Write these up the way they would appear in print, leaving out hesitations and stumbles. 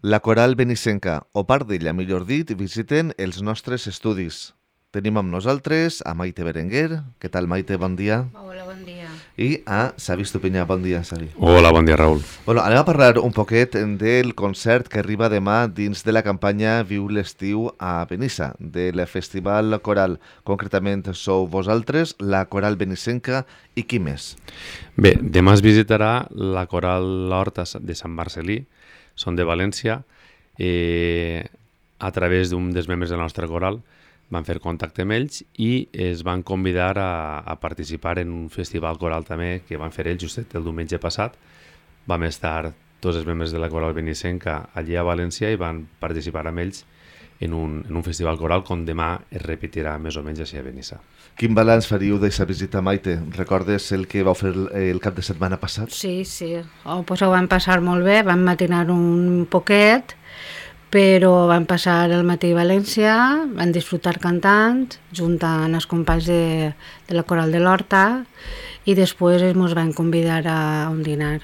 La Coral Benissenca, o part d'ella, millor dit, visiten els nostres estudis. Tenim amb nosaltres a Maite Berenguer. Què tal, Maite? Bon dia. Hola, bon dia. I a Xavi Estupinyà. Bon dia, Xavi. Hola, bon dia, Raül. Bueno, anem a parlar un poquet del concert que arriba demà dins de la campanya Viu l'estiu a Benissa, del Festival Coral. Concretament sou vosaltres, la Coral Benissenca i qui més? Bé, demà es visitarà la Coral L'Horta de Sant Marcelí, són de València. A través d'un dels membres de la nostra coral van fer contacte amb ells i es van convidar a participar en un festival coral també que van fer ells just el diumenge passat. Vam estar tots els membres de la Coral Benissenca allí a València i van participar amb ells en un festival coral com demà es repetirà més o menys així a Benissa. Quin balanç faríeu d'aquesta visita, Maite? Recordes el que vau fer el cap de setmana passat? Sí. Pues ho vam passar molt bé, vam matinar un poquet, però vam passar el matí a València, vam disfrutar cantant, junt amb els companys de la Coral de l'Horta, i després ens van convidar a un dinar.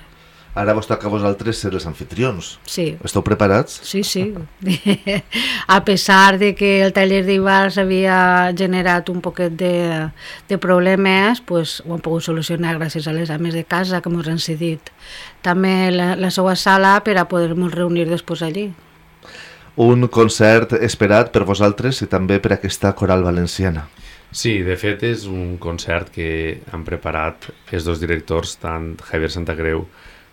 Ara vos toca a vosaltres ser els anfitrions. Sí. Esteu preparats? Sí. A pesar de que el taller d'Ibars havia generat un poquet de problemes, pues, ho hem pogut solucionar gràcies a les ames de casa que ens han cedit també la seva sala per a poder-nos reunir després allí. Un concert esperat per vosaltres i també per aquesta coral valenciana. Sí, de fet és un concert que han preparat els dos directors, tant Javier Santacreu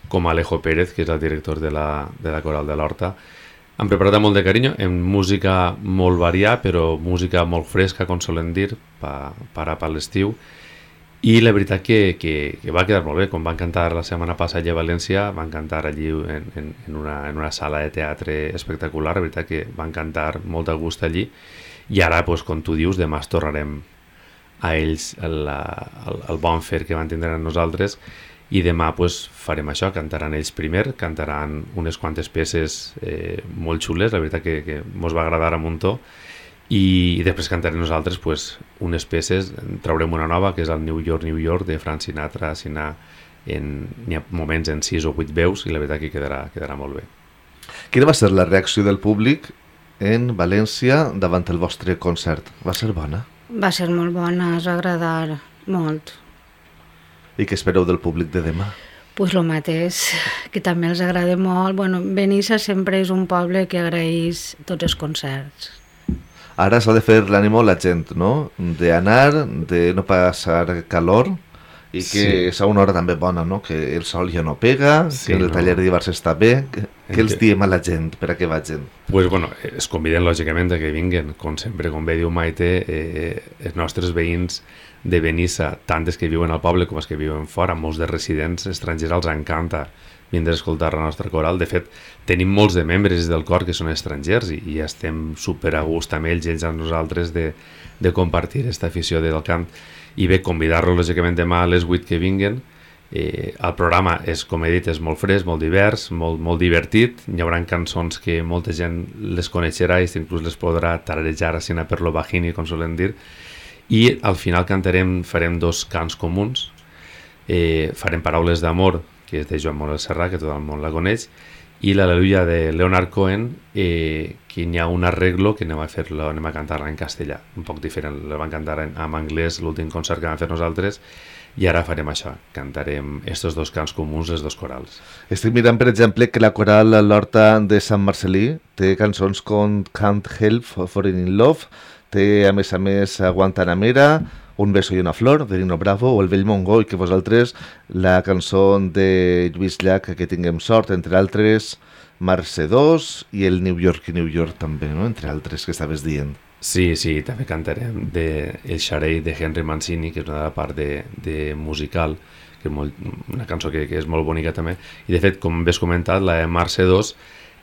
com Alejo Pérez, que és el director de la Coral de l'Horta. Han preparat amb molt de carinyo, en música molt variada, però música molt fresca, com solen dir, per l'estiu. I la veritat que va quedar molt bé. Com van cantar la setmana passada allà a València, van cantar allí en una sala de teatre espectacular. La veritat que van cantar molt a gust allí. I ara, com tu dius, demà es tornarem a ells el bon fer que van tindre amb nosaltres. I demà farem això, cantaran ells primer, cantaran unes quantes peces molt xules, la veritat que mos va agradar a muntó, i després cantarem nosaltres unes peces, traurem una nova que és el New York, New York de Frank Sinatra, n'hi ha moments en 6 o 8 veus i la veritat que quedarà molt bé. Quina va ser la reacció del públic en València davant el vostre concert? Va ser bona? Va ser molt bona, es va agradar molt. I què espereu del públic de demà? Pues lo mateix, que també els agrada molt. Bueno, Benissa sempre és un poble que agraeix tots els concerts. Ara s'ha de fer l'ànimo a la gent, no? D'anar, de no passar calor i que és a una hora també bona, no? Que el sol ja no pega, que el taller d'Ibars està bé. Què els diem a la gent per a que vagin? Es conviden lògicament a que vinguen, com sempre, com bé diu Maite, els nostres veïns de Benissa, tant els que viuen al poble com els que viuen fora, molts de residents estrangers els encanta vindre a escoltar la nostra coral. De fet, tenim molts de membres del cor que són estrangers i estem super a gust amb ells amb nosaltres de compartir aquesta afició del cant. I bé, convidar-los lògicament demà a les 8 que vinguen. El programa és, com he dit, és molt fresc, molt divers, molt divertit. Hi haurà cançons que molta gent les coneixerà i inclús les podrà tararejar així per lo bajini, com solen dir. I al final farem 2 cants comuns. Farem Paraules d'amor, que és de Joan Manuel Serrat, que tot el món la coneix, i l'Al·leluia de Leonard Cohen, que hi ha un arreglo que anem a cantar-la en castellà, un poc diferent. La van cantar en anglès l'últim concert que vam fer nosaltres, i ara farem això, cantarem estos 2 cants comuns, les 2 corals. Estic mirant, per exemple, que la coral L'Horta de Sant Marcelí té cançons com Can't Help Falling in Love, té a més Guantanamera, Un beso i una flor, de Nino Bravo, o El vell Mongó, i que vosaltres la cançó de Lluís Llach, Que tinguem sort, entre altres, Marce 2 i el New York i New York també, no? Entre altres que estaves dient. Sí, també cantarem El Xarell de Henry Mancini, que és una part de musical, que és una cançó que és molt bonica també. I de fet, com ves comentat, la de Marce 2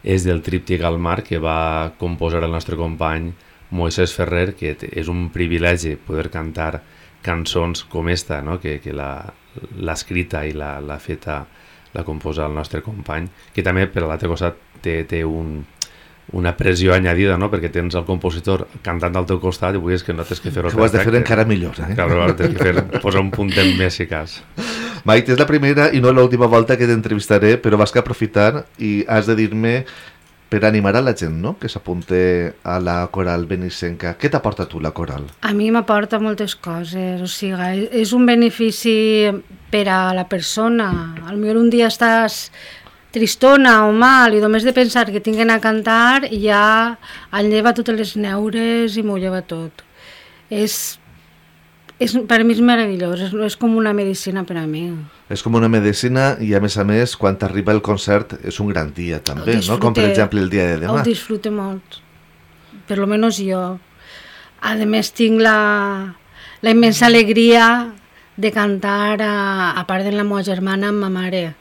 és del tríptic al mar que va composar el nostre company Moisés Ferrer, que és un privilegi poder cantar cançons com esta, no? que l'ha escrita i l'ha feta, la composa el nostre company, que també per l'altre costat té una pressió añadida, no? Perquè tens el compositor cantant al teu costat i vull que no tens que fer-ho perfecte. Que ho has de fer encara millor, eh? Clar, tens que posar un puntet més eficaç. Maite, és la primera i no l'última volta que t'entrevistaré, però vas que aprofitar i has de dir-me per animar a la gent, no?, que s'apunte a la coral benissenca. Què t'aporta tu la coral? A mi m'aporta moltes coses, o sigui, és un benefici per a la persona. Potser un dia estàs tristona o mal i només de pensar que tinguen a cantar ja em lleva totes les neures i m'ho lleva tot. Per a mi és meravellós, és com una medicina per a mi. És com una medicina i a més, quan t'arriba el concert és un gran dia també, no? Com per exemple el dia de demà. El disfrute molt, per lo menos jo. A més tinc la immensa alegria de cantar a part de la meva germana amb ma mare,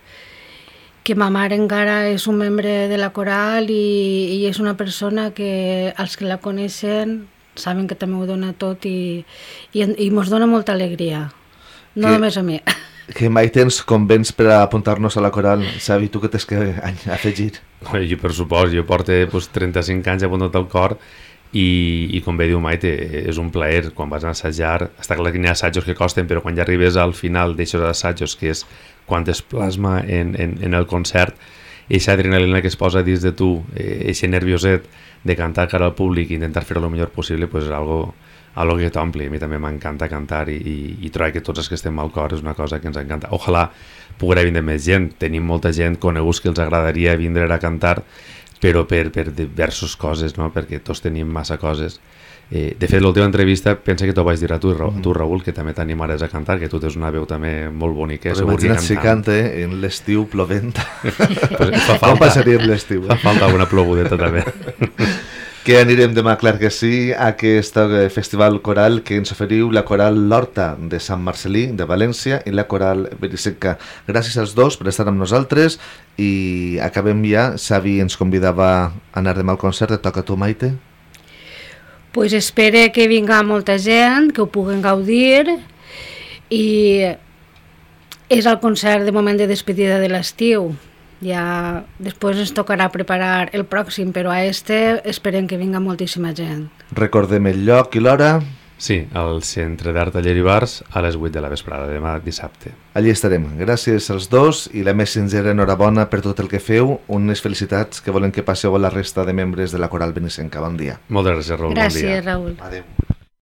que ma mare encara és un membre de la coral i és una persona que els que la coneixen saben que també ho dona tot i mos dona molta alegria, no només a mi. Que mai tens convents per a apuntar-nos a la coral, Xavi, tu que tens que afegir? Jo per supost, jo porto 35 anys apuntat al cor i com bé diu Maite, és un plaer quan vas a assajar. Està clar que hi ha assajos que costen, però quan ja arribes al final d'aixòs assajos, que és quan es plasma en el concert, eixa adrenalina que es posa dins de tu, eixe nervioset de cantar cara al públic i intentar fer-ho el millor possible, pues és algo que t'ompli. A mi també m'encanta cantar i trobar que tots els que estem al cor és una cosa que ens encanta. Ojalà poguera vindre més gent. Tenim molta gent coneguts que els agradaria vindre a cantar, però per diverses coses, no? Perquè tots tenim massa coses. De fet, l'última entrevista pensa que t'ho vaig dir a tu, Raül, que també t'animaràs a cantar, que tu tens una veu també molt bonica. Però imagina't si canta en l'estiu plovent. Pues com passaria l'estiu? Fa falta alguna plogudeta també. Que anirem demà, clar que sí, a aquest festival coral que ens oferiu la coral L'Horta de Sant Marcelí de València i la coral Benissenca. Gràcies als dos per estar amb nosaltres i acabem ja. Xavi ens convidava a anar demà al concert. Et toca a tu, Maite? Pues espere que vinga molta gent, que ho puguen gaudir i és el concert de moment de despedida de l'estiu. Ja després ens tocarà preparar el pròxim, però a esperem que vinga moltíssima gent. Recordem el lloc i l'hora. Sí, al Centre d'Art Taller i Bars a les 8 de la vesprada, demà dissabte. Allí estarem. Gràcies als dos i la més sincera enhorabona per tot el que feu. Unes felicitats que volen que passeu a la resta de membres de la coral benissenca. Bon dia. Moltes gràcies, Raül. Gràcies, bon dia. Raül. Adéu.